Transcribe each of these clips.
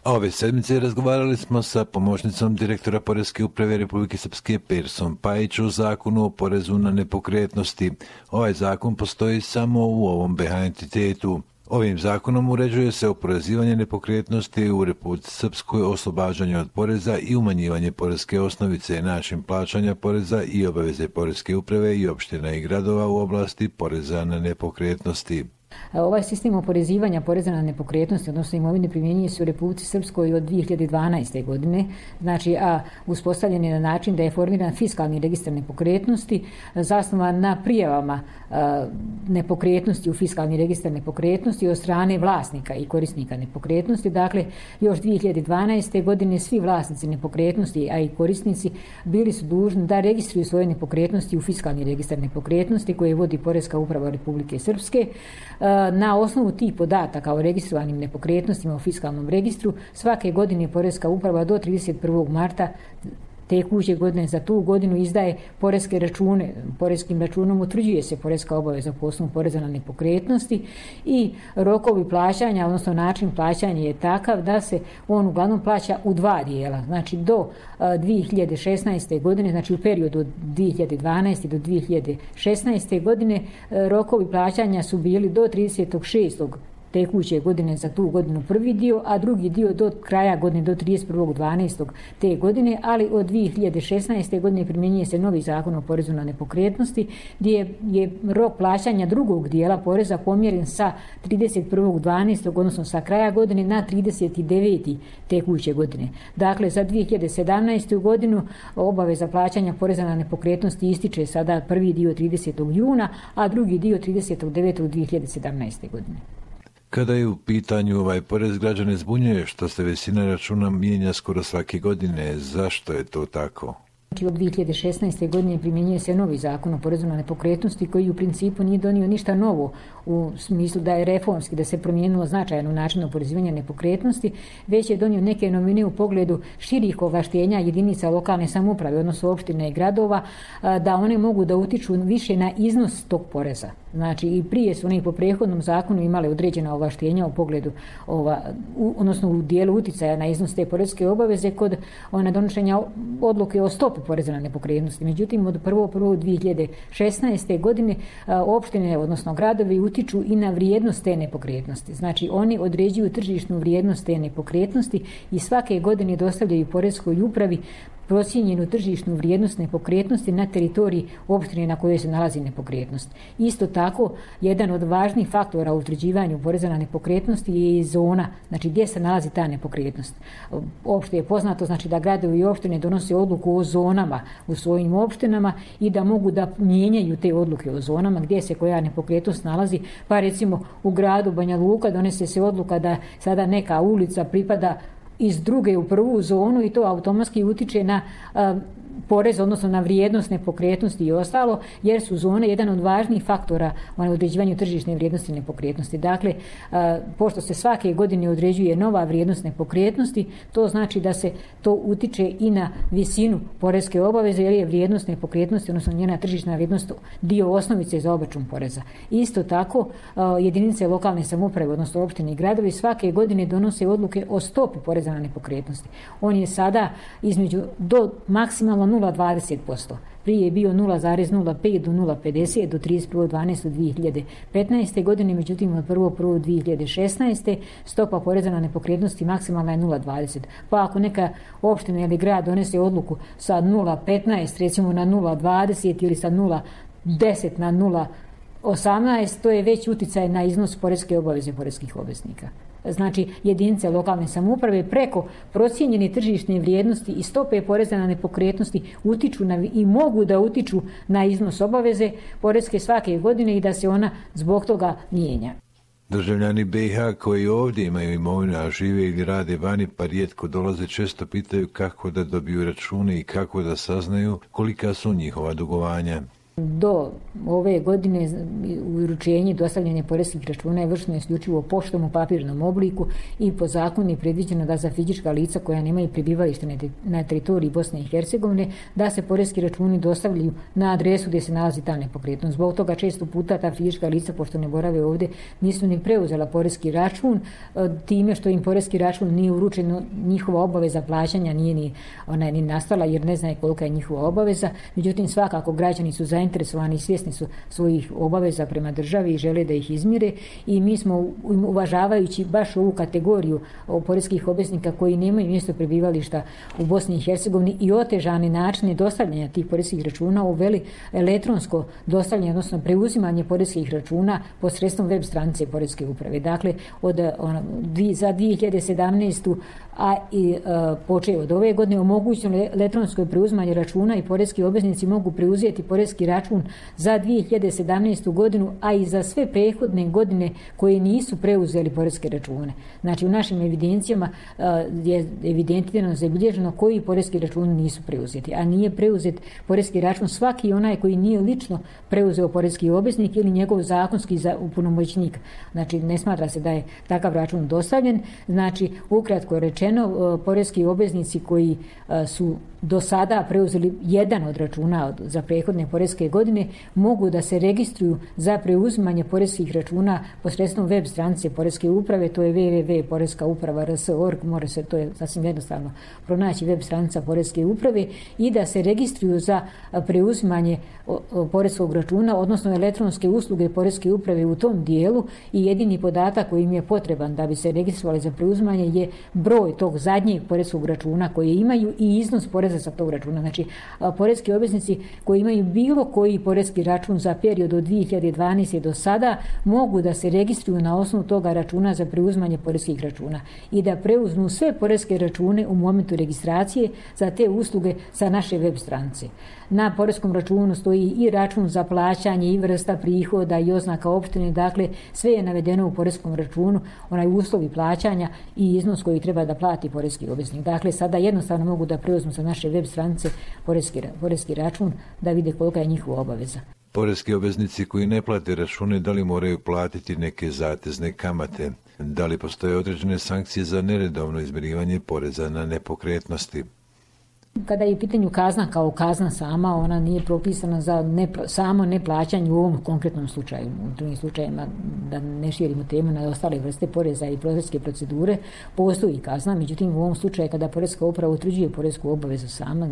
A ove sedmice razgovarali smo sa pomoćnicom direktora Poreske uprave Republike Srpske Persom Pajić o zakonu o porezu na nepokretnosti. Ovaj zakon postoji samo u ovom BH entitetu. Ovim zakonom uređuje se oporezivanje nepokretnosti u Republici Srpskoj, oslobađanje od poreza i umanjivanje poreske osnovice, način plaćanja poreza i obaveze Poreske uprave i opština i gradova u oblasti poreza na nepokretnosti. Ovaj sistem oporezivanja poreza na nepokretnosti, odnosno imovine, primjenjuje se u Republici Srpskoj od 2012. godine, znači, a uspostavljen je na način da je formiran fiskalni registar nepokretnosti, zasnovan na prijavama nepokretnosti u fiskalni registar nepokretnosti od strane vlasnika i korisnika nepokretnosti. Dakle, još 2012. godine svi vlasnici nepokretnosti, a i korisnici, bili su dužni da registruju svoje nepokretnosti u fiskalni registar nepokretnosti koje vodi Poreska uprava Republike Srpske. Na osnovu tih podataka o registrovanim nepokretnostima u fiskalnom registru svake godine Poreska uprava do 31. marta tekuće godine za tu godinu izdaje poreske račune. Poreskim računom utvrđuje se poreska obaveza po osnovu poreza na nepokretnosti i rokovi plaćanja, odnosno način plaćanja je takav da se on uglavnom plaća u dva dijela. Znači do 2016. godine, znači u periodu od 2012. do 2016. godine rokovi plaćanja su bili do 36. tekuće godine za tu godinu prvi dio, a drugi dio do kraja godine, do 31.12. te godine, ali od 2016. godine primjenjuje se novi zakon o porezu na nepokretnosti, gdje je rok plaćanja drugog dijela poreza pomjeren sa 31.12. odnosno sa kraja godine na 39. tekuće godine. Dakle, za 2017. godinu obaveza plaćanja poreza na nepokretnosti ističe sada prvi dio 30. juna, a drugi dio 39.2017. godine. Kada je u pitanju ovaj porez, građane zbunjuje što se visina računa mijenja skoro svake godine. Zašto je to tako? Od 2016. godine primjenjuje se novi zakon o porezu na nepokretnosti koji u principu nije donio ništa novo u smislu da je reformski, da se promijenilo značajno način oporezivanja nepokretnosti, već je donio neke novine u pogledu širih ovlaštenja jedinica lokalne samouprave, odnosno opštine i gradova, da one mogu da utiču više na iznos tog poreza. Znači i prije su oni po prethodnom zakonu imale određena ovlaštenja u pogledu odnosno u dijelu uticaja na iznos te poreske obaveze kod donošenja odluke o stopi poreza na nepokretnosti. Međutim, od 1.1.2016. godine opštine, odnosno gradovi, utiču i na vrijednost te nepokretnosti. Znači, oni određuju tržišnu vrijednost te nepokretnosti i svake godine dostavljaju Poreskoj upravi procijenjenu tržišnu vrijednost nepokretnosti na teritoriji opštine na kojoj se nalazi nepokretnost. Isto tako, jedan od važnih faktora u utvrđivanju poreza na nepokretnosti je i zona, znači gdje se nalazi ta nepokretnost. Opšte je poznato, znači da gradovi i opštine donose odluku o zonama u svojim opštinama i da mogu da mijenjaju te odluke o zonama gdje se koja nepokretnost nalazi. Pa recimo u gradu Banja Luka donese se odluka da sada neka ulica pripada iz druge u prvu zonu i to automatski utiče na porez, odnosno na vrijednost nepokretnosti i ostalo, jer su zone jedan od važnijih faktora u određivanju tržišne vrijednosti nepokretnosti. Dakle, pošto se svake godine određuje nova vrijednost nepokretnosti, to znači da se to utiče i na visinu poreske obaveze, jer je vrijednost nepokretnosti, odnosno njena tržišna vrijednost, dio osnovice za obračun poreza. Isto tako, jedinice lokalne samouprave, odnosno opštine i gradovi, svake godine donose odluke o stopi poreza na nepokretnosti. On je sada između do maksimalno 0,20%. Prije je bio 0,05 do 0,50 do 31.12.2015. godine, međutim od 1.1.2016. stopa poreza na nepokretnosti maksimalna je 0,20. Pa ako neka opština ili grad donese odluku sa 0,15 recimo na 0,20 ili sa 0,10 na 0,18, to je već uticaj na iznos poreske obaveze poreskih obveznika. Znači, jedinice lokalne samouprave preko procijenjene tržišne vrijednosti i stope poreza na nepokretnosti utiču i mogu da utiču na iznos obaveze poreske svake godine i da se ona zbog toga mijenja. Državljani BiH koji ovdje imaju imovinu, a žive ili rade vani pa rijetko dolaze, često pitaju kako da dobiju račune i kako da saznaju kolika su njihova dugovanja. Do ove godine uručenje dostavljanje poreskih računa je vršeno isključivo poštom u papirnom obliku i po zakonu je predviđeno da za fizička lica koja nemaju prebivalište na teritoriji Bosne i Hercegovine da se poreski računi dostavljaju na adresu gdje se nalazi ta nepokretnost. Zbog toga često puta ta fizička lica, pošto ne borave ovdje, nisu ni preuzela poreski račun, time što im poreski račun nije uručeno, njihova obaveza plaćanja nije ni nastala jer ne znaju kolika je njihova obaveza. Međutim, svakako građani su zainteresovani i svjesni su svojih obaveza prema državi i žele da ih izmire i mi smo, uvažavajući baš ovu kategoriju poreskih obveznika koji nemaju mjesto prebivališta u Bosni i Hercegovini i otežane načine dostavljanja tih poreskih računa, uveli elektronsko dostavljanje, odnosno preuzimanje poreskih računa posredstvom web stranice Poreske uprave. Dakle, za 2017. počeo od ove godine omogućeno elektronsko preuzimanje računa i poreski obveznici mogu preuzeti poreski račun za 2017. godinu, a i za sve prethodne godine koje nisu preuzeli poreske račune. Znači, u našim evidencijama je evidentirano, zabilježeno koji poreski računi nisu preuzeti, a nije preuzet poreski račun svaki onaj koji nije lično preuzeo poreski obveznik ili njegov zakonski punomoćnik. Znači, ne smatra se da je takav račun dostavljen. Znači, ukratko rečeno, poreski obveznici koji su do sada preuzeli jedan od računa za prethodne poreske godine mogu da se registruju za preuzimanje poreskih računa posredstvom web stranice Poreske uprave, to je www.poreskauprava.rs.org, može se, to je sasvim jednostavno pronaći web stranica Poreske uprave, i da se registruju za preuzimanje poreskog računa, odnosno elektronske usluge Poreske uprave u tom dijelu, i jedini podatak koji im je potreban da bi se registrovali za preuzimanje je broj tog zadnjeg poreskog računa koji imaju i iznos poreza sa tog računa. Znači, poreski obveznici koji imaju bilo koji poreski račun za period od 2012. do sada mogu da se registruju na osnovu toga računa za preuzimanje poreskih računa i da preuzmu sve poreske račune u momentu registracije za te usluge sa naše web stranice. Na poreskom računu stoji i račun za plaćanje i vrsta prihoda i oznaka opštine, dakle sve je navedeno u poreskom računu, onaj uslovi plaćanja i iznos koji treba da plati poreski obveznik. Dakle, sada jednostavno mogu da preuzmu sa naše web stranice poreski račun da vide kolika je njihova obaveza. Poreski obveznici koji ne plate račune, da li moraju platiti neke zatezne kamate? Da li postoje određene sankcije za neredovno izmirivanje poreza na nepokretnosti? Kada je u pitanju kazna kao kazna sama, ona nije propisana za samo neplaćanje u ovom konkretnom slučaju. U drugim slučajima, da ne širimo temu na ostale vrste poreza i poreske procedure, postoji kazna. Međutim, u ovom slučaju kada Poreska uprava utvrđuje poresku obavezu sama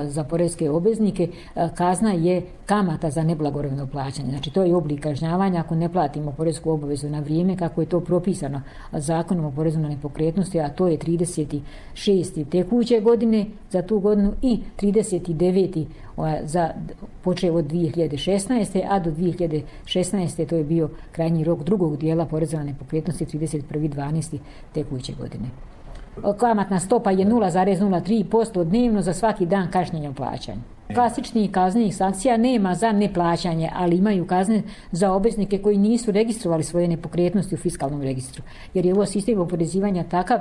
za poreske obveznike, kazna je kamata za neblagovremeno plaćanje. Znači, to je oblik kažnjavanja ako ne platimo poresku obavezu na vrijeme kako je to propisano Zakonom o porezu na nepokretnosti, a to je 36. tekuće godine za tu godinu i 39. počeo od 2016. a do 2016. to je bio krajnji rok drugog dijela poreza na nepokretnosti 31.12. tekuće godine. Kamatna stopa je 0,03% dnevno za svaki dan kašnjenja u plaćanju. Klasičnih kaznenih sankcija nema za neplaćanje, ali imaju kazne za obveznike koji nisu registrovali svoje nepokretnosti u fiskalnom registru. Jer je ovo sistem oporezivanja takav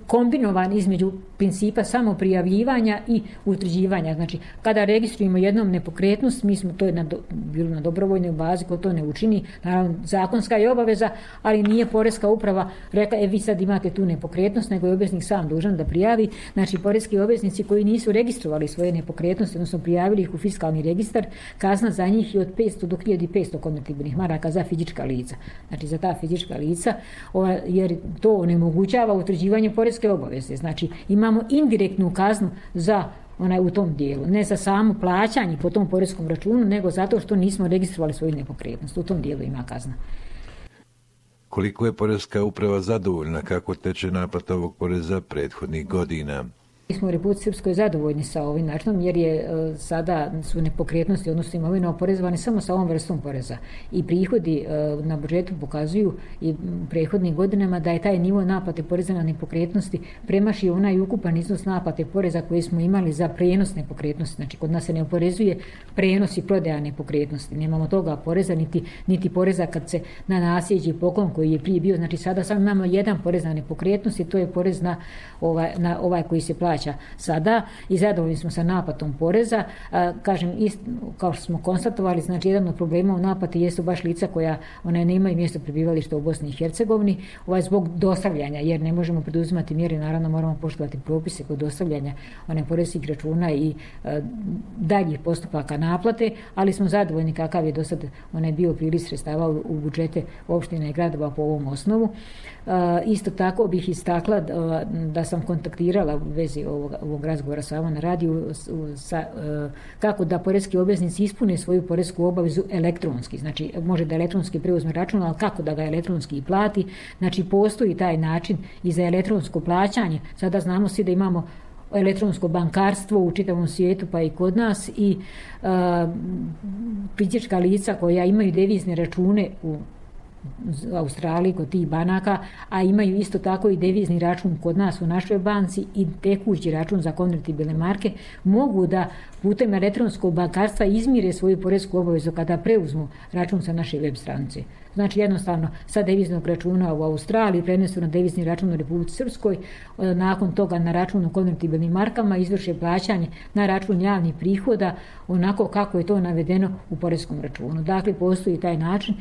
kombinovan između principa samoprijavljivanja i utvrđivanja. Znači, kada registrujemo jednom nepokretnost, to je bilo na dobrovoljnoj bazi, ko to ne učini, naravno zakonska je obaveza, ali nije Poreska uprava rekla, vi sad imate tu nepokretnost, nego je obveznik sam dužan da prijavi. Znači, poreski obveznici koji nisu registrovali svoje nepokretnosti, odnosno prijavili ih u fiskalni registar, kazna za njih je od 500 do 1500 konvertibilnih maraka za fizička lica. Znači, za ta fizička lica, jer to onemogućava utvrđivanje poreske obaveze. Znači, imamo indirektnu kaznu za u tom dijelu. Ne za samo plaćanje po tom poreskom računu, nego zato što nismo registrovali svoju nepokretnost. U tom dijelu ima kazna. Koliko je Poreska uprava zadovoljna kako teče naplata ovog poreza prethodnih godina? Mi smo u Republici Srpskoj zadovoljni sa ovim načinom jer sada su nepokretnosti, odnosno imovina, oporezovane samo sa ovom vrstom poreza. I prihodi na budžetu pokazuju i prethodnim godinama da je taj nivo naplate poreza na nepokretnosti premašio onaj ukupan iznos naplate poreza koji smo imali za prenos nepokretnosti. Znači, kod nas se ne oporezuje prenos i prodaja nepokretnosti. Nemamo toga poreza, niti poreza kad se na nasljeđe i poklon koji je prije bio. Znači, sada samo imamo jedan porez na nepokretnosti, to je porez na ovaj koji se plaća plaća sada i zadovoljni smo sa naplatom poreza. Kažem, kao što smo konstatovali, znači jedan od problema u naplati jesu baš lica koja nemaju mjesto prebivališta u Bosni i Hercegovini, zbog dostavljanja, jer ne možemo preduzimati mjere, naravno moramo poštovati propise kod dostavljanja poreskih računa i daljih postupaka naplate, ali smo zadovoljni kakav je do sad bio priliv sredstava u budžete opštine i gradova po ovom osnovu. Isto tako bih istakla da sam kontaktirala u vezi ovog razgovora sa vama na radiju kako da poreski obveznici ispune svoju poresku obavezu elektronski. Znači, može da elektronski preuzme račun, ali kako da ga elektronski i plati. Znači, postoji taj način i za elektronsko plaćanje. Sada znamo svi da imamo elektronsko bankarstvo u čitavom svijetu, pa i kod nas, i fizička lica koja imaju devizne račune u Australiji kod tih banaka, a imaju isto tako i devizni račun kod nas u našoj banci i tekući račun za konvertibilne marke, mogu da putem elektronskog bankarstva izmire svoju poresku obavezu kada preuzmu račun sa naše web stranice. Znači, jednostavno sa deviznog računa u Australiji prenesu na devizni račun u Republici Srpskoj, nakon toga na račun u konvertibilnim markama izvrše plaćanje na račun javnih prihoda onako kako je to navedeno u poreskom računu. Dakle, postoji taj način.